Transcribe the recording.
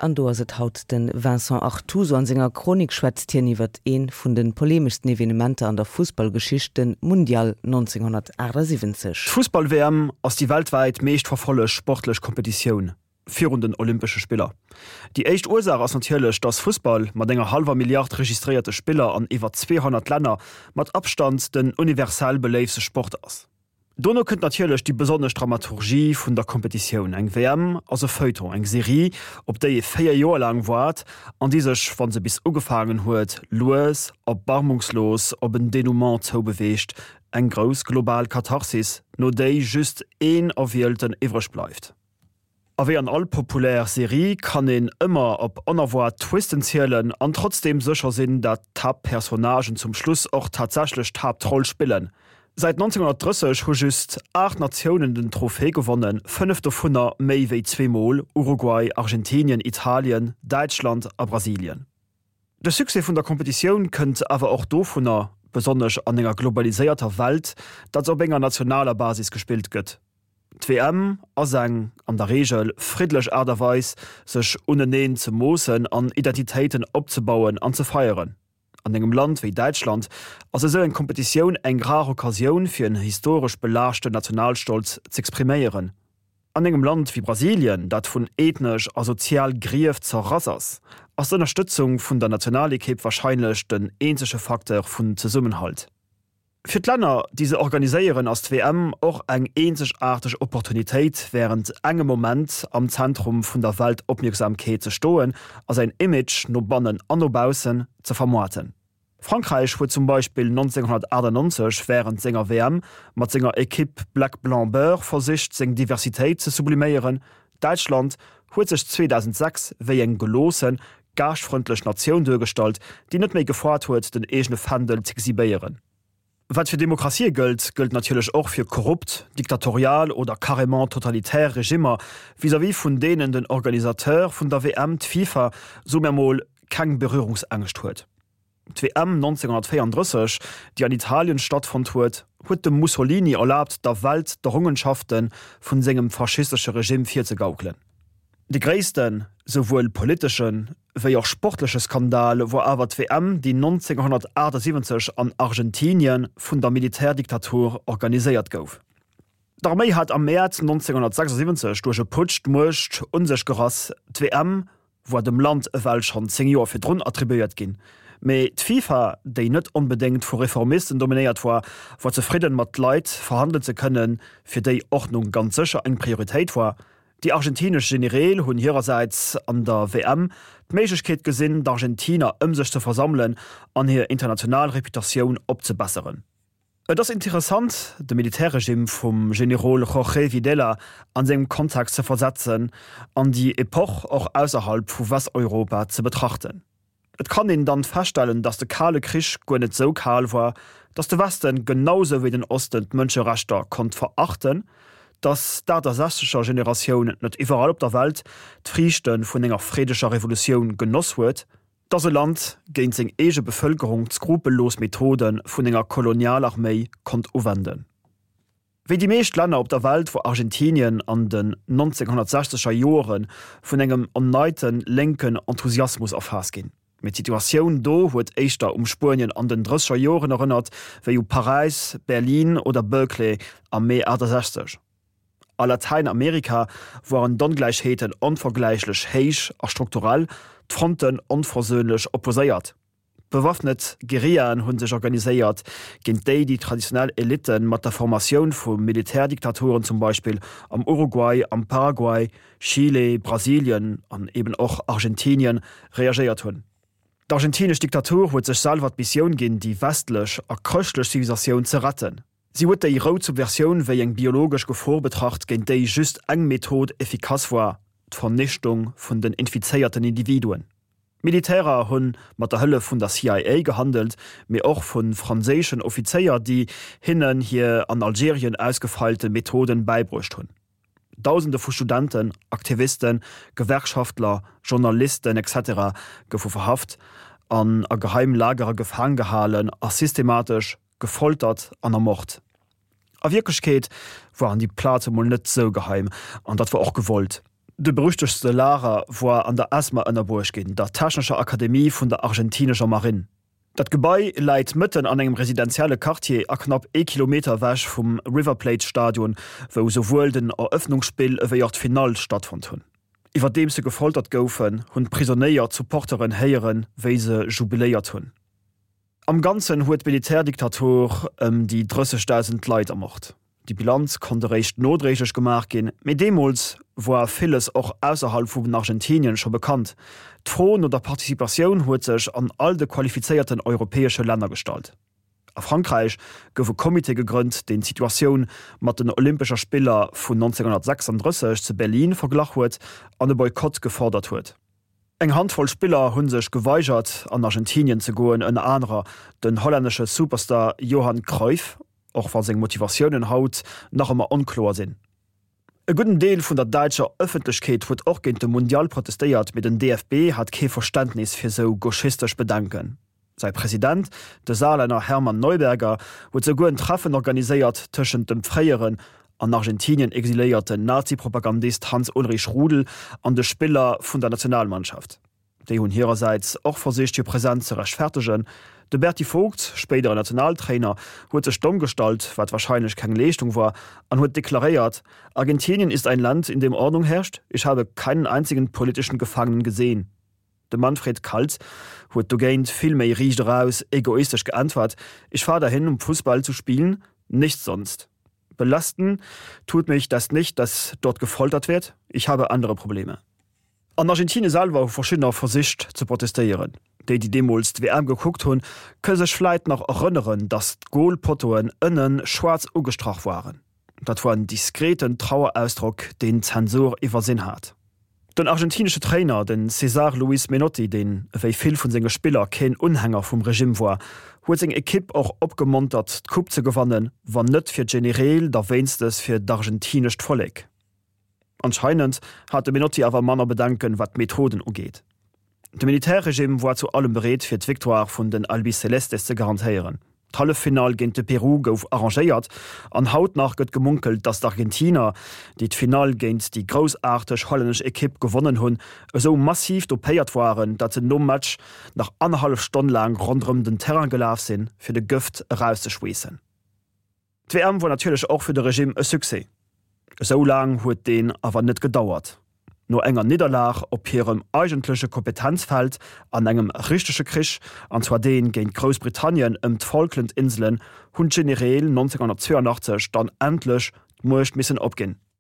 An do ass et haut de Vincent Artuso. An senger Chronik schwätzt hien iwwert ee vun de polemeschsten Evenementer an der Fussballgeschicht, de Mundial 1978. D'Fussball-WM ass déi weltwäit meescht verfollegt sportlech Kompetitioun virun den Olympesche Spiller. Déi éischt Ursaach ass natierlech, datt Fussball mat enger hallwer Milliard registréierte Spiller an iwwer 200 Länner mat Abstand den universell beléiftste Sport ass. Dono kënnt natierlech déi besonnesch Dramaturgie vun der Kompetitioun. Eng WM ass e Feuilleton, eng Serie, op déi ee 4 Joer laang waart an déi sech, wa se bis ugefaangen huet, lues, erbarmungslos op en Denouement zoubeweegt, eng grouss global Katharsis, no déi just een Erwielten iwwreg bleift. A wéi an all populär Serie kann een ëmmer op onerwaart Twisten zielen an trotzdeem sécher sinn, dat d'Haaptpersonnagen zum Schluss och tatsächlech d'Haaptroll spillen. Säit 1930 hu just 8 Natiounen den Trophée gewonnen, 5 dovunner méi wéi zweemol, Uruguay, Argentinien, Italien, Däitschland a Brasilien. De Succès vun der Kompetitioun kënnt awer och dovunner, besonnesch an enger globaliséierter Welt, datt se op enger nationaler Basis gespillt gëtt. D'WM ass eng, an der Reegel, friddlech Aart a Weis, sech uneneen ze moossen an Identitéiten opzebauen an ze feieren. An engem Land wéi Däitschland ass esou eng Kompetitioun eng rar Occasioun, fir en historesch belaaschten Nationalstolz z'expriméieren. An engem Land wéi Brasilien, dat vun ethnesch a sozial Grief zerrass ass, ass d'Ënnerstëtzung vun der Nationalekipp warscheinlech den eenzege Facteur vun Zesummenhalt. Fir d'Länner, déi se organiséieren, ass d'WM och eng eenzegaarteg Opportunitéit, wärend engem Moment am Zentrum vun der Weltopmierksamkeet ze stoen a säin Image no bannen an no baussen ze vermoarten. Frankräich huet zum Beispill 1998 wärend senger WM mat senger Ekipp Black Blanc Beurre versicht, seng Diversitéit ze subliméieren, Däitschland huet sech 2006 wéi eng geloossen, gaaschtfrëndlech Natioun duergestallt, déi net méi gefoart huet, den eegene Fändel z'exhibéieren. Wat fir Demokratië gëllt, gëllt natierlech och fir korrupt, diktatorial oder carrément totalitär Regimmer, vis-à-vis vun deenen den Organisateur vun der WM, d'FIFA, soe mir mol, keng Berührungsängscht huet. D'WM 1934, déi an Italien stattfonnt huet, huet dem Mussolini erlaabt, der Welt d'Errongenschafte vun sengem faschistesche Regime virzegaukelen. De gréissten, souwuel politesche wéi och sportleche Skandal wor awer d'WM, déi 1978 an Argentinien vun der Militärdiktatur organiséiert gouf. D'Arméi hat am Mäerz 1976 duerch e Putsch d'Muecht un sech gerass. D'WM war dem Land ewell schonn 10 Joer virdrun attribuéiert ginn, mee d'FIFA, déi net onbedéngt vu Reformisten dominéiert war, war zefridden mat Leit verhandelen ze kënnen, fir déi Ordnung ganz sécher eng Prioritéit war. Déi argentinesch Genereel hunn hirersäits an der WM d'Méiglechkeet gesinn, d'Argentiner ëm sech ze versammelen an hir international Reputatioun opzebesseren. Et ass interessant, de Militärregime vum Generol Jorge Videla an sengem Kontext ze versetzen an déi Epoch och ausserhalb vu Westeuropa ze betrachten. Et kann een dann feststellen, datt de Kale Krich guer net sou kal war, datt de Westen genau sou wéi den Osten d'Mënscherechter konnt verachten, datt d'Aachtasechzeger Generatioun net iwwerall op der Welt d'Friichte vun enger freedeger Revolutioun genoss huet, Dass e Land géint seng eege Bevëlkerung d'skrupellos Methode vun enger Kolonialarméi konnt uwenden. Wéi déi meescht Länner op der Welt wor Argentinien an den 1960er Joere vun engem erneite lénken Enthusiasmus erfaasst ginn. Mee d'Situatioun do huet éischter um Spuenien an den drësseger Joren erënnert wéi u Paräis, Berlin oder Berkeley am Mee 68. A Latäinamerika woaren d'Ongläichheeten onvergläichlech héich a strukturell, d'Fronten onversöhnlech opposéiert. Bewaffnet Guerillaen hu sech organiséiert, géint déi déi traditionell Elitten mat der Formatioun vu Militärdiktaturen zum Beispill am Uruguay, am Paraguay, Chile, Brasilien an eben och Argentinien reagéiert hunn. D'argentinesch Diktatur huet sech selwer d'Missioun ginn, déi westlech a chrëschtlech Zivilisatioun ze retten. Si huet déi rout Subversioun wéi eng biologesch Gefor betracht, géint déi just eng Method efficace war, d'Vernichtung vun den infizéierten Individuen. D'Militärer hu mat der Hëllef vun der CIA gehandelt, mee och vu franséischen Offizéier, déi hinnen hir an Algerien ausgefeilte Methoden bäibruecht hunn. Dausende vu Studenten, Aktivisten, Gewerkschaftler, Journalisten, etc. Goufe verhaft an a Geheimlagere gefaang gehalen a systematesch gefoltert an ermort. A Wierklechkeet waren déi Plaze mol net sou geheim, an dat war och gewollt. De berüchtegtste Lager woar an der ESMA ënnerbruecht ginn, der technescher Akademie vun der argentinescher Marinn. Dat Gebai läit mëtten an engem residentielle Quartier a knapp ee Kilometer ewech vum River Plate Stadion, wou souwuel den Erëffnungsspill ewéi och d'Finall stattfonnt hunn. Iwwerdeems se gefoltert goufen, hunn d'Prisonéier d'Supporteren héieren, wéi se jubiléiert hunn. Am Ganzen huet d'Militärdiktatur ëm déi 30.000 Leit ermort. Déi Bilanz konnt eréischt nodréiglech gemaach ginn, mee deemools woar villes och ausserhalb vun Argentinien scho bekannt. D'Fro no der Participatioun huet sech an all de qualifizéierten europäesche Länner gestallt. A Frankräich gouf e Comité gegrënnt, deen d'Situatioun mat den Olympescher Spiller vun 1936 zu Berlin verglach huet an e Boykott gefordert huet. Eng Handvoll Spiller hu sech geweigert an Argentinien ze goen, ënner anerer den hollännesche Superstar Johan Cruyff, och wa seng Motivatiounen haut nach ëmmer onkloer sinn. E gudden Deel vun der däitscher Ëffentlechkeet huet och géint de Mundial protestéiert, mee den DFB hat kee Verständnis fir sou gauchistesch Bedenken. Säi President, de Saarlänner Hermann Neuberger, huet souguer en Treffen organiséiert tëschent dem fréieren an Argentinien exiléierten Nazi-Propagandist Hans-Ulrich Rudel an de Spiller vun der Nationalmannschaft. Déi hunn hirersäits och versicht hir Presenz ze rechtfertegen. De Berti Vogts, spéidere Nationaltrainer, huet sech domm gestallt, wat warscheinlech keng Leeschtung war, an huet deklaréiert, Argentinien ist ein Land, in dem Ordnung herrscht, ich habe keinen einzigen politischen Gefangenen gesehen. De Manfred Kaltz huet dogéint vill méi riicht eraus egoistesch geäntwert, Ich fahr dahin, um Fussball zu spielen, nichts sonst. Belasten tut mich das nicht, dass dort gefoltert wird, ich habe andere Probleme. An Argentinie selwer hu verschiddener versicht ze protestéieren. Déi, déi deemools d'WM gekuckt hunn, kënne sech vläit nach erënneren, datt d'Golpottoen ënne schwaarz ugestrach waren. Dat war en diskreten Trauerausdrock, deen d'Zensur iwwersinn hat. Den argentinesche Trainer, den César Luis Menotti, deen ewéi vill vun senge Spiller keen Unhänger vum Regimm war, huet seng Ekipp och opgemontert, d'Coupe ze gewannen, wann net fir d'Genereel, da wéinstes fir d'argentinescht Vollek. Anscheinend hat de Menotti awer manner Bedenken, wat d'Methoden ugeet. De Militärregime war zu allem bereet, fir d'Victoire vun den Albicelestes ze garantéieren. D'Halleffinall géint de Peru gouf arrangéiert an haut nach gëtt gemunkelt, datt d'Argentiner, déi d'Finall géint déi groussaarteg hollännesch Ekipp gewonnen hunn, esou massiv dopéiert waren, datt se nom Match nach annerhallef Stonn laang ronderëm den Terrain gelaf sinn, fir de Gëft erauszeschweessen. D'WM wor natierlech och fir de Regime e Succès. Esou laang huet deen awer net gedauert. No enger Nidderlag op hirem eigentleche Kompetenzfeld an engem richtege Krich, an zwar deen géint Groussbritannien ëm d'Falklandinselen, hunn d'Genereel 1982 dann endlech d'Muecht missen opginn.